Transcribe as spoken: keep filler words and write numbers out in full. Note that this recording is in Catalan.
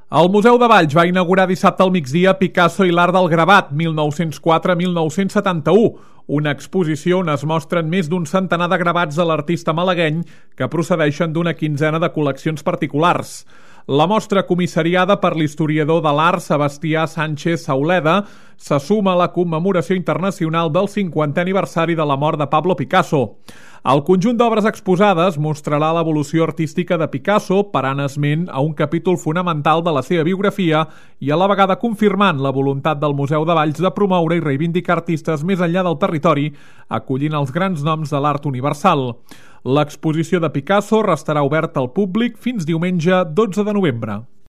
El Museu de Valls va inaugurar dissabte al migdia Picasso i l'art del gravat, mil nou-cents quatre a mil nou-cents setanta-u, una exposició on es mostren més d'un centenar de gravats de l'artista malagueny que procedeixen d'una quinzena de col·leccions particulars. La mostra, comissariada per l'historiador de l'art Sebastià Sánchez Sauleda, se suma a la commemoració internacional del cinquantè aniversari de la mort de Pablo Picasso. El conjunt d'obres exposades mostrarà l'evolució artística de Picasso, parant esment a un capítol fonamental de la seva biografia i a la vegada confirmant la voluntat del Museu de Valls de promoure i reivindicar artistes més enllà del territori, acollint els grans noms de l'art universal. L'exposició de Picasso restarà oberta al públic fins diumenge dotze de novembre.